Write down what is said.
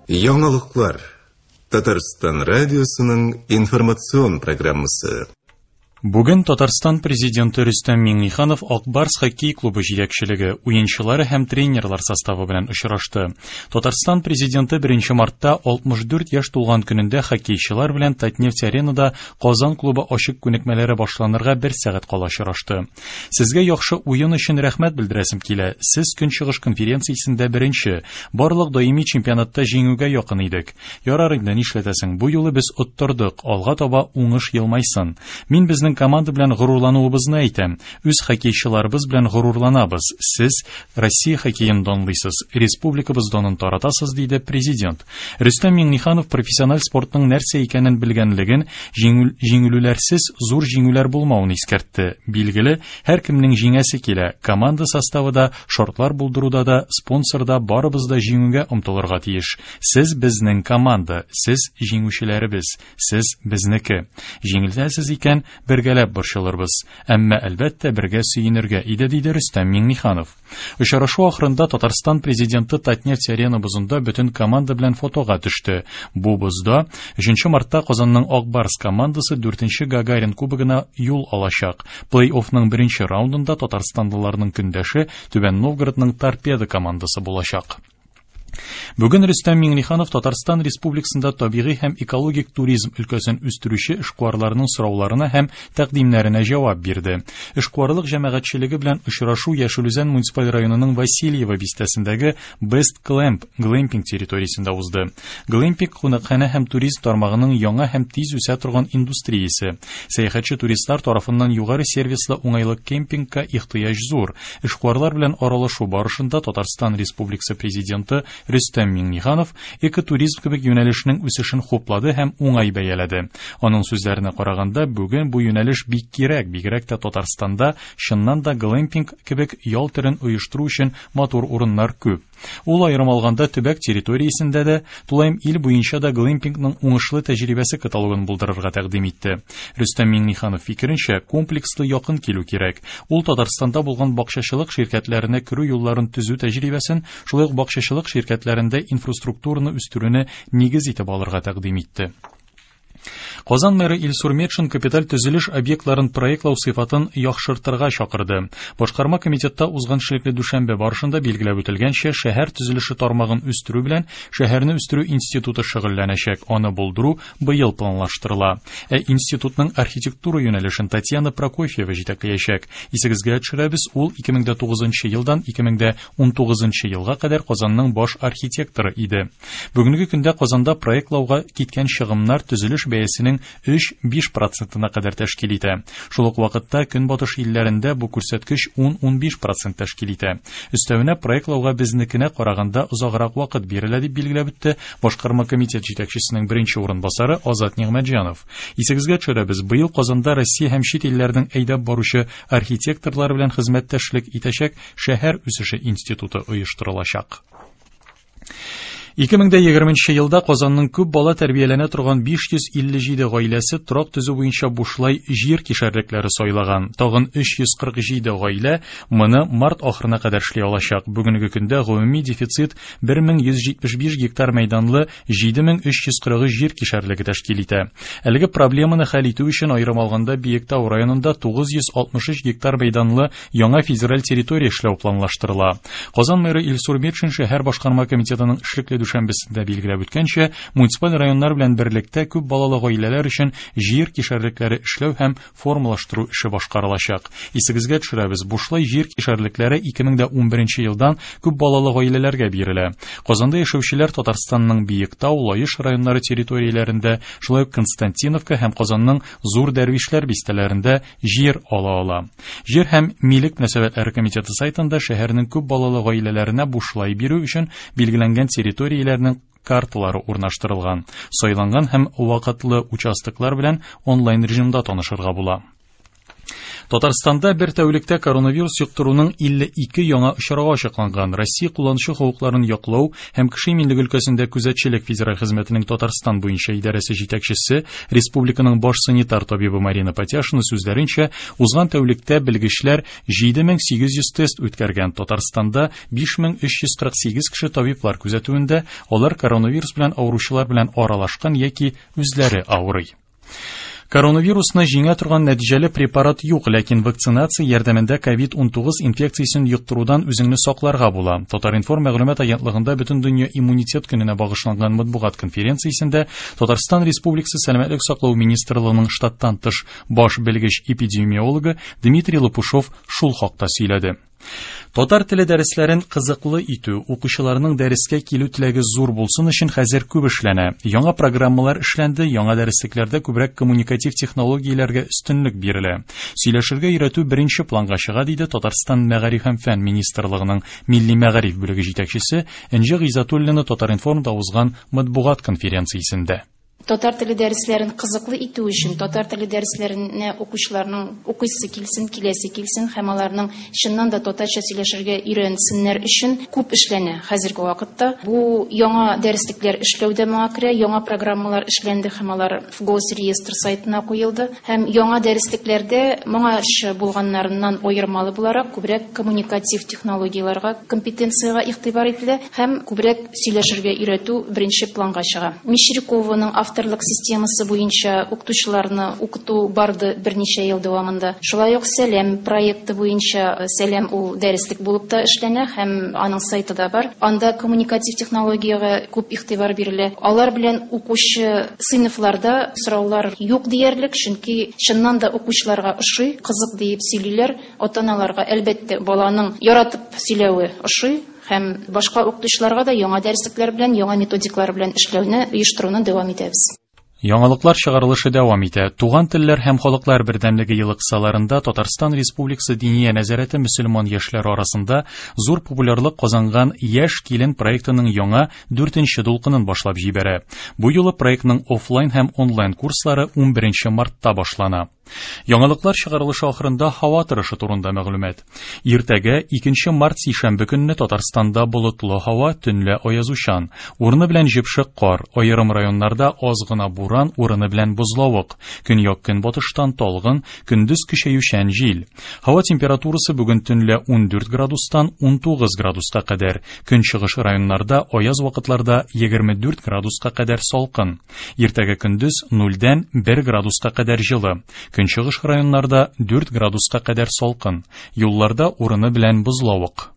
Яңалыклар. Татарстан радиосының информацион программасы. Бүген Татарстан президенты Рөстәм Миңнеханов Ак Барс хоккей клубы җитәкчелеге, уенчылары һәм тренерлар составы белән очрашты. Татарстан президенты 1 мартта 64 яшь тулган көнендә хоккейчылар белән Татнефть-аренада Казан клубы ачык күнекмәләре башланырга бер сәгать кала очрашты. Сезгә яхшы уен өчен рәхмәт белдерәсем килә. Сез Көнчыгыш конференциясендә беренче, барлык даими чемпионатта җиңүгә якын идек. Ярар инде, нишләтәсең, бу юлы без оттырдык, алга таба уңыш елмайсын. Мин безнең команда белән горурлануыбызны әйтәм. Үз хоккейчыларыбыз белән горурланабыз. Сез Россия хоккеен данлыйсыз, республикабыз данын таратасыз, диде президент. Рөстәм Миңнеханов профессиональ спортның нәрсә икәнен белгәнлеген, җиңелүләрсез зур җиңүләр булмавын искәртте. Билгеле, һәркемнең җиңәсе килә, команда составы да, шартлар булдыруда да, спонсор да барыбыз да җиңүгә омтылырга тиеш. Сез безнең команда, сез җиңүчеләребез, сез безнеке. Җиңелсәсез икән, бергәләп борчылырбыз. Әмма, әлбәттә, бергә сөенергә иде, диде Рөстәм Миңнеханов. Очрашу ахырында Татарстан президенты Татнефть Арена бозында бөтен команда белән фотога төште. Бу бозда 3 мартта Казанның Ак Барс командасы 4 Гагарин кубогына юл алачак. Плей-оффның беренче раундында татарстанлыларның көндәше Түбән Новгородның Торпедо командасы булачак. Бүген Рөстәм Миңнеханов Татарстан Республикасында табигый һәм экологик туризм өлкәсен үстерүче эшкуарларның сорауларына һәм тәкъдимнәренә җавап бирде. Эшкуарлык җәмәгатьчелеге белән очрашу Яшел Үзән муниципаль районының Васильево бистәсендәге Best Clamp глэмпинг территориясендә узды. Глэмпинг кунакханә һәм туризм тармагының яңа һәм тиз үсә торган индустриясе. Сәяхәтче туристлар тарафыннан югары сервислы уңайлы кемпингка ихтыяҗ зур. Эшкуарлар белән аралашу барышында Татарстан Республикасы Президенты Рөстәм Миңнеханов экотуризм кебек юнәлешнең үсешен хуплады һәм уңай бәяләде. Аның сүзләренә караганда, бүген бу юнәлеш бик кирәк, бигрәк тә Татарстанда чыннан да глэмпинг кебек ял төрен оештыру өчен матур урыннар күп. Ул аерым алганда төбәк территориясендә дә, тулаем ил буенча да глэмпингның уңышлы тәҗрибәсе каталогын булдырырга тәкъдим итте. Рөстәм Миңнеханов фикеренчә, комплекслы якын килү кирәк. Ул Татарстанда булган бакчачылык ширкәтләренә керү юлларын төзү тәҗрибәсен, шулай ук бакчачылык ширкәтләрендә инфраструктураны үстерүне нигез итеп алырга тәкъдим итте. Казан мэры Илсур Метшин капиталь төзелеш объектларын проектлау сыйфатын яхшыртырга чакырды. Башкарма комитетта узган эшлекле дүшәмбе барышында билгеләп үтелгәнчә, шәһәр төзелеше тармагын үстерү белән шәһәрне үстерү институты шөгыльләнәчәк. Аны булдыру быел планлаштырыла. Ә институтның архитектура юнәлешен Татьяна Прокофьева җитәкләячәк. Исегезгә төшерәбез, ул 2009 елдан 2019 елга кадәр Казанның баш архитекторы иде. Бүгенге көндә Казанда проектлауга киткән чыгымнар төзелеш бәясенең 3-5 процентына кадәр тәшкил итә. Шул ук вакытта Көнбатыш илләрендә бу күрсәткеч 10-15 процент тәшкил итә. Өстәвенә проектлауга безнекенә караганда озаграк вакыт бирелә, дип билгеләп үтте Башкарма комитет җитәкчесенең беренче урынбасары Азат Нигъмәтҗанов. Исегезгә төшерәбез, быел Казанда Россия һәм чит илләрнең әйдәп баручы архитекторлары белән хезмәттәшлек итәчәк Шәһәр үсеше институты оештырылачак. 2020 елда Казанның күп бала тәрбияләнә торган 557 гаиләсе торак төзү буенча бушлай җир кишәрлекләре сайлаган. Тагын 347 гаилә моны март ахырына кадәр эшли алачак. Бүгенге көндә гомуми дефицит 1175 гектар мәйданлы 7343 җир кишәрлеге тәшкил итә. Әлеге проблеманы хәл итү өчен аерым алганда Биектау районында 963 гектар мәйданлы Яңа федераль территория эшләү планлаштырыла. Казан мэры Илсур Метшин шәһәр башкарма комитетының эшлекле дүшәмбесендә билгеләп үткәнчә, муниципаль районнар белән берлектә күп балалы гаиләләр өчен җир кишәрлекләре эшләү һәм формалаштыру эше башкарылачак. Исегезгә төшерәбез, бушлай җир кишәрлекләре 2011 елдан күп балалы гаиләләргә бирелә. Казанда яшәүчеләр Татарстанның Биектау, Лаеш районнары территорияләрендә, шулай ук Константиновка һәм Казанның Зур Дәрвишләр бистәләрендә җир ала ала. Җир һәм милек мөнәсәбәтләре комитеты сайтында шәһәрнең күп балалы гаиләләренә бушлай бирү өчен билгеләнгән территорияләрнең карталары урнаштырылган. Сайланган һәм вакытлы участоклар белән онлайн режимда танышырга була. Татарстанда бер тәүлектә коронавирус йоктыруның 52 яңа очрагы ачыкланган. Россия кулланучы хокукларын яклау һәм кеше иминлеге өлкәсендә күзәтчелек федераль хезмәтенең Татарстан буенча идарәсе җитәкчесе, республиканың баш санитар табибы Марина Патяшина сүзләренчә, узган тәүлектә белгечләр 7800 тест үткәргән. Татарстанда 5348 кеше табиблар күзәтүендә, алар коронавирус белән авыручылар белән аралашкан яки үзләре авырый. Коронавирусны җиңә торган нәтиҗәле препарат юк, ләкин вакцинация ярдәмендә COVID-19 инфекциясен йоктырудан үзеңне сакларга була. Татар-информ мәгълүмат агентлыгында Бөтендөнья иммунитет көненә багышланган матбугат конференциясендә Татарстан Республикасы Сәламәтлек саклау министрлыгының штаттан тыш баш белгеч эпидемиологы Дмитрий Лопушов шул хакта сөйләде. Татар теле дәресләрен кызыклы итү, укучыларның дәрескә килү теләге зур булсын өчен хәзер күп эшләнә. Яңа программалар эшләнде, яңа дәреслекләрдә күбрәк коммуникатив технологияләргә өстенлек бирелә. Сөйләшергә өйрәтү беренче планга чыга, диде Татарстан Мәгариф һәм фән министрлыгының милли мәгариф бүлеге җитәкчесе Энҗе Гыйззәтуллина Татар-информда узган матбугат конференциясендә. Татар теле дәресләрен кызыклы итү өчен, татар теле дәресләренә укучыларның укыйсы килсен, киләсе килсен һәм аларның чыннан да татарча сөйләшергә өйрәнсеннәр өчен күп эшләнә хәзерге вакытта. Бу яңа дәреслекләр эшләү дә моңа керә, яңа программалар эшләнде һәм алар Госреестр сайтына куелды. Һәм яңа дәреслекләрдә моңарчы булганнарыннан аермалы буларак күбрәк коммуникатив технологияләргә, компетенциягә игътибар ителә һәм күбрәк сөйләшергә өйрәтү беренче планга чыга. Мещерякованың авторлык системасы буенча укытучыларны укыту барды берничә ел дәвамында. Шулай ук Сәлам проекты буенча, Сәлам ул дәреслек булып та эшләнә һәм аның сайты да бар. Анда коммуникатив технологиягә күп игътибар бирелә. Алар белән укучы сыйныфларда сораулар юк диярлек, чөнки чыннан да укучыларга ошый, кызык диеп сөйлиләр. Ата-аналарга, әлбәттә, баланың яратып сөйләве ошый. Һәм башка укытучыларга да яңа дәреслекләр белән, яңа методиклар белән эшләүне, оештыруны дәвам итәбез. Яңалыклар чыгарылышы дәвам итә. Туган телләр һәм халыклар бердәмлеге елы кысаларында Татарстан Республикасы Диния нәзарәте мөселман яшьләре арасында зур популярлык казанган Яшь килен проектының яңа дүртенче дулкынын башлап җибәрә. Бу юлы проектның офлайн һәм онлайн курслары 11 мартта башлана. Яңалыклар чыгарылышы ахырында һава торышы турында мәгълүмат. Иртәгә 2 март сишәмбе көнне Татарстанда болытлы һава, төнлә аязучан. Урыны белән җепшек кар, аерым районнарда аз гына буран, урыны белән бозлавык. Көньяк көнбатыштан талгын, көндез көчәючән җил. Һава температурасы бүген төнлә 14 градустан 19 градуска кадәр. Көнчыгыш районнарда аяз вакытларда 24 градуска кадәр салкын. Иртәгә көндез 0-дән 1 градуска кадәр җылы. Көнчыгыш районнарда 4 градуска кадәр салкын. Юлларда урыны белән бозлавык.